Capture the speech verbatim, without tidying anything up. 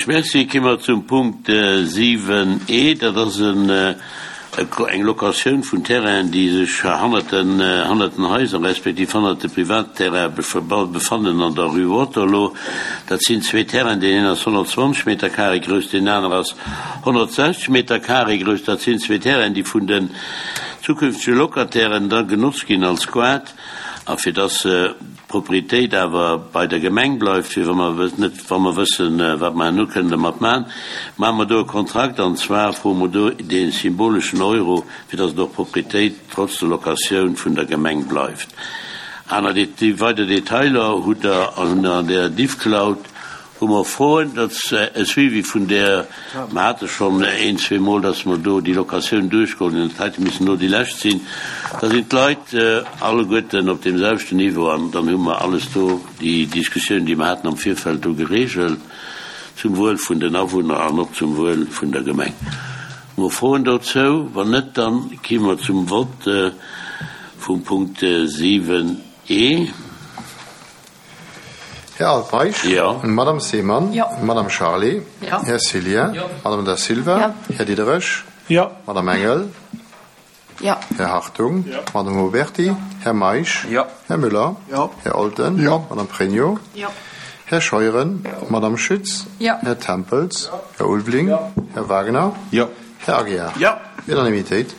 Merci. Ki mer zum Punkt siwen E. Dat ass eng Locatioun vun Terrainen, déi sech hannert den, hannert den Haiser respektiv hannert de Privatterraine befannen an der Rue Waterloo. Dat sinn zwee Terrainen, deen een ass honnertzwanzeg Meter carré grouss, deen aner ass honnertsechzeg Meter carré grouss. Dat sinn zwee Terrainen, déi vun den zukünftege Locatairen da genotzt ginn als Squat. A fir dass d'Proprietéit awer bei der Gemeng bleift, fir wa mer net, wa mer wëssen, wat mer herno kënnen dermat maachen, maache mer do e Kontrakt, an zwar froe mer do dee symboleschen Euro, fir dass et och Proprietéit trotz der Locatioun vun der Gemeng bleift. Aner, déi weider Detailer hutt Der an der Diffcloud. Hu mer Froen? Dat ass e Suivi vun där, mer hate schonn een, zwee Mol, dass mer do déi Locatioun duerchgeholl hunn. Dat heite missen elo déi lescht sinn. Da sinn d'Leit alleguerten op deem selwechten Niveau an dann hu mer alles do, déi Diskussioun, déi mer haten am Virfeld, do geregelt, zum Wuel vun den Awunner an och zum Wuel vun der Gemeng. Hu mer Froen dozou? Wann net, da gi mer zum Vott vum Punkt siwen E. Här Altmeisch. Jo. Madame Seemann. Jo. Madame Charlé. Jo. Här Cillien. Jo. Madame Da Silva. Jo. Här Diderich. Jo. Madame Engel. Jo. Här Hartung. Jo. Madame Oberti. Här Meisch. Jo. Här Müller. Jo. Här Olten. Jo. Madame Pregno. Jo. Här Scheuren. Madame Schütz. Jo. Här Tempels. Här Ulveling. Här Wagner. Jo. Här Aguiar. Jo. Unanimitéit.